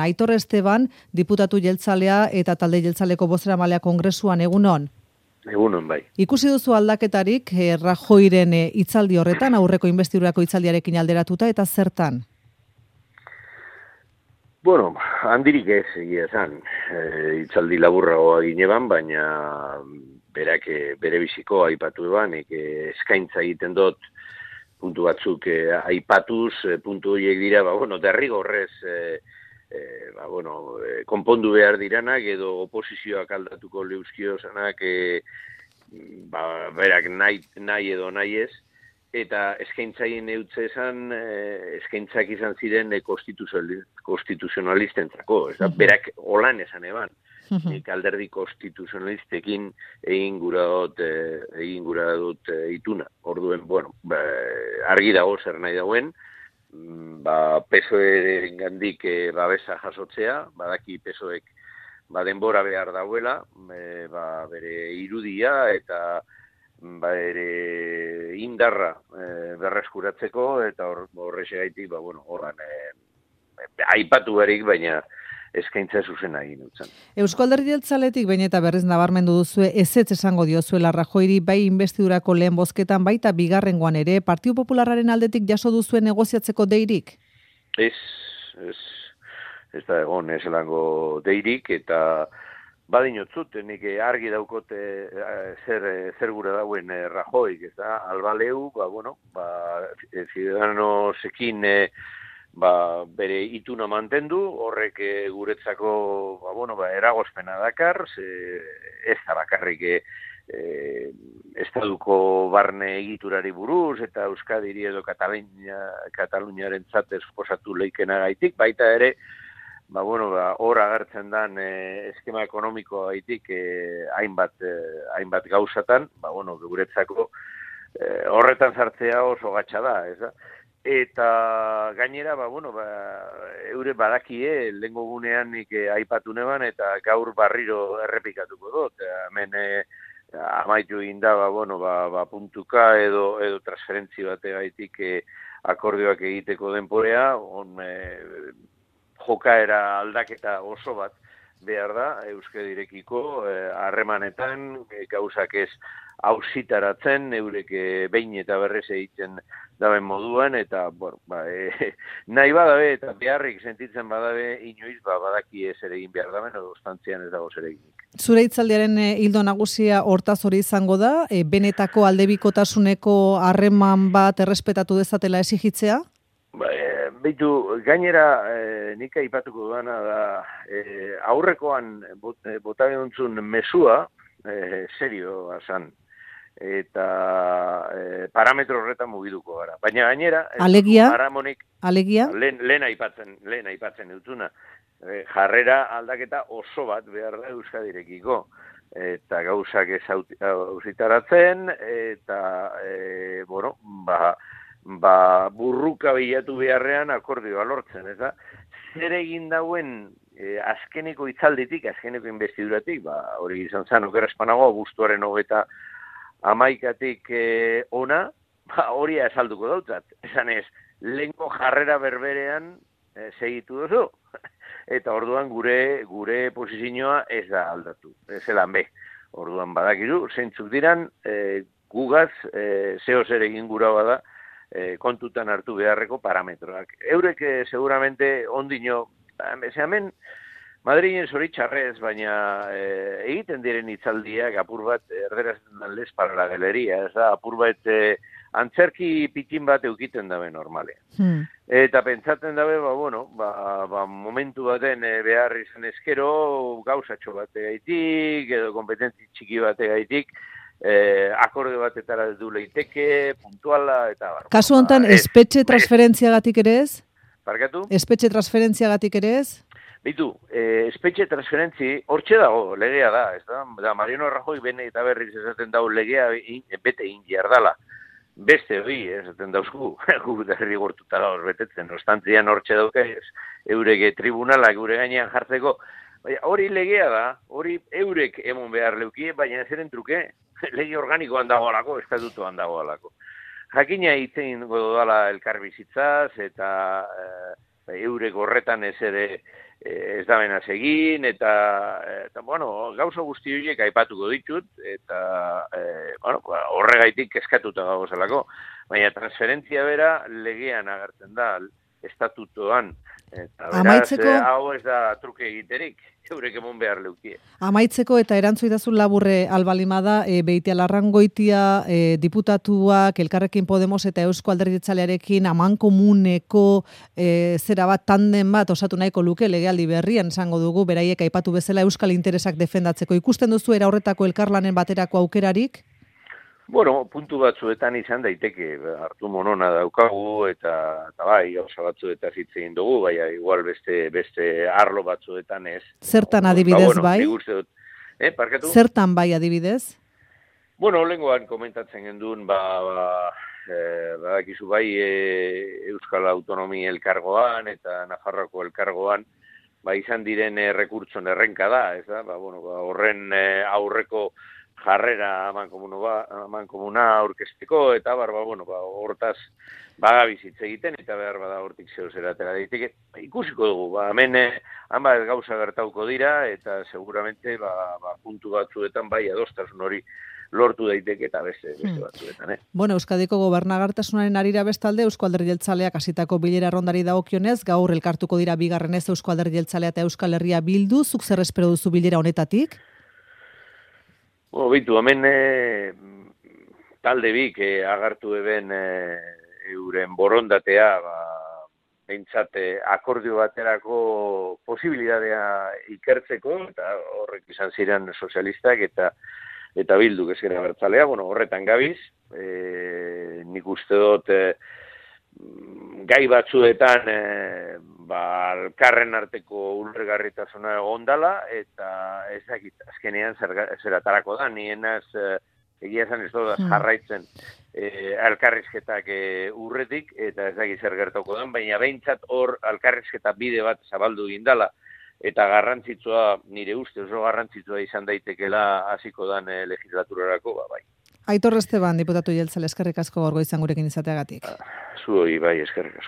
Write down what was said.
Aitor Esteban, diputatu jeltzalea eta talde jeltzaleko bozeramalea kongresuan, egunon. Egunon, bai. Ikusi duzu aldaketarik Rajoyren hitzaldi horretan, aurreko inbestidurako hitzaldiarekin alderatuta, eta zertan? Bueno, handirik ez egia esan. Hitzaldi laburragoa gineban, baina berak bere biziko aipatu eban, eskaintza egiten dut puntu batzuk aipatuz, puntu horiek dira, derrigorrez konpondu behar diranak edo oposizioak aldatuko leuskiozanak berak nahi edo nahi ez, eta eskaintzaien eutze esan, eskaintzak izan ziren konstituzionalistentzako, berak holan esan eban. Alderdi konstituzionalistekin egin gura dut ituna. Orduen, argi dago zer nahi dagoen, PSOEren gandik babesa jasotzea, badaki PSOEk denbora behar dauela, bere irudia eta bere indarra berreskuratzeko, eta horrexegaitik, horran aipatu barik, baina eskaintza zuzena egin utzan. Eusko Alderdi Jeltzaletik behin eta berriz nabarmendu duzue ezetz esango diozuela Rajoyri bai inbestidurako lehen bozketan baita bigarrengoan ere, Partidu Popularraren aldetik jaso duzuen negoziatzeko deirik? Ez da egon ezelango deirik, eta badinotzut, nik argi daukote zer gura dauen Rajoyk, ez da, albaleu, Ciudadanosekin bere ituna mantendu, horrek guretzako eragozpena dakar, ez da bakarrik estaduko barne egiturari buruz, eta Euskadiri edo Kataluniaren zate suposatu leikena gaitik, baita ere, hor agertzen dan eskema ekonomikoa gaitik hainbat gauzatan, guretzako horretan sartzea oso gatsa da, ez da? Eta gainera, eure badakie, lehengo gunean nik aipatu neban, eta gaur barriro errepikatuko dut. Hemen amaitu inda, puntuka edo transferentzi bategaitik akordioak egiteko denporea, jokaera aldaketa oso bat behar da, Euskadirekiko harremanetan, gauzak ez hausitaratzen, eurek behin eta berrez egiten daben moduan, eta nahi badabe eta beharrik sentitzen badabe, inoiz badaki ez ere egin behar daben, edo ostantzian ez dago zer egin. Zure hitzaldiaren ildo nagusia hortaz hori izango da, benetako aldebikotasuneko harreman bat errespetatu dezatela exigitzea? Beitu, gainera nik aipatuko duana da, aurrekoan bota behuntzun mesua, serio asan, eta parametro horretan mugiduko gara. Baina gainera, alegia? Lehen aipatzen dutzuna, jarrera aldaketa oso bat behar da Euskadirekiko, eta gauzak ez hausitaratzen, eta burruka bilatu beharrean akordioa lortzen, ez da? Zer egin dauen azkeneko hitzalditik, azkeneko inbestiduratik, hori izan zen, okerazpanago, abuztuaren 31-tik ona, hori azalduko dautzat. Esan ez, lehenko jarrera berberean segitu duzu, eta orduan gure posizioa ez da aldatu, ez elan be. Orduan badakizu, zeintzuk diran, gugaz, zeo zer egin gura bada, kontutan hartu beharreko parametroak. Eurek seguramente ondino, hemen Madrilen zoritxarrez, baina egiten diren hitzaldiak apur bat erderazten dan lez para la galeria, ez da, apur bat antzerki pitin bat eukiten dabe normalean. Eta pentsatzen dabe, momentu baten behar izan eskero, gauzatxo bategaitik, edo kompetentzi txiki bategaitik, akorde batetara du leiteke, puntuala, eta kasu honetan, espetxe transferentziagatik ere ez? Barkatu? Espetxe transferentziagatik ere ez? Bitu, espetxe transferentzi, hortxe dago, legea da, ez da? Mariano Rajoy bene eta berriz esaten dago legea bete indiar dala. Beste hori, esaten dauzku, gu derrigortuta gaur betetzen, ostantzian hortxe dauke, eurek tribunalak gure gainean jartzeko, hori legea da, hori eurek emon behar leukie, baina zeren truke, lege organikoan dagoalako, estatutuan dagoalako. Jakina hitzein godala elkarbizitzaz, eta eurek horretan ez ere ez da benaz egin, eta bueno, gauza guzti horiek aipatuko ditut, eta bueno, horregaitik kezkatuta gagozelako. Baina transferentzia bera legean agertzen da, estatutoan. Eta beraz, hau ez da truke egiterik, eurek emon behar leukie. Amaitzeko eta erantzudazun laburre albalimada, Beitialarrangoitia diputatuak, Elkarrekin Podemos eta Eusko Alderdi Jeltzalearekin amankomuneko zera bat tanden bat osatu nahiko luke legealdi berrian esango dugu, beraiek aipatu bezala euskal interesak defendatzeko. Ikusten duzu era horretako elkarlanen baterako aukerarik? Bueno, puntu batzuetan izan daiteke, hartu monona daukagu, eta bai, gauza batzuetan hitz egin dugu, baina igual beste arlo batzuetan ez. Zertan adibidez bai? Parkatu? Zertan bai adibidez? Bueno, lehengoan komentatzen genduen, badakizu bai Euskal Autonomi elkargoan eta Nafarroako elkargoan, izan diren rekurtson errenka da, ez da? Horren aurreko jarrera amankomuna aurkezteko, eta hortaz bagabizitze egiten, eta behar bada hortik zeu zeratera daiteke. Ikusiko dugu, hemen hanbat gauza gertauko dira, eta seguramente puntu batzuetan bai adostasun hori lortu daiteke eta beste batzuetan. Bueno, Euskadiko gobernagartasunaren arira bestalde, Eusko Alderdi Jeltzaleak hasitako bilera rondari dagokionez, gaur elkartuko dira bigarrenez Eusko Alderdi Jeltzalea eta Euskal Herria Bildu, zuk zer espero duzu bilera honetatik? Bitu, hemen talde bik agartu eben euren borondatea, behintzat akordio baterako posibilitatea ikertzeko, eta horrek izan ziren sozialistak eta Bilduk ezkera bertzalea, horretan gabiz, nik uste dut gai batzuetan elkarren arteko ulergarritasuna egondala, eta ezakit azkenean zeratarako da, nienaz egia esan ez dut jarraitzen elkarrizketak urretik, eta ezakit zer gertako da, baina behintzat hor elkarrizketa bide bat zabaldu gindala, eta garrantzitsua, nire uste oso garrantzitsua izan daitekela hasiko dan legislaturarako, bai. Aitor Esteban, diputatu jeltzale, eskerrik asko gaur goizan gurekin izateagatik. Zuoi, bai, eskerrik asko.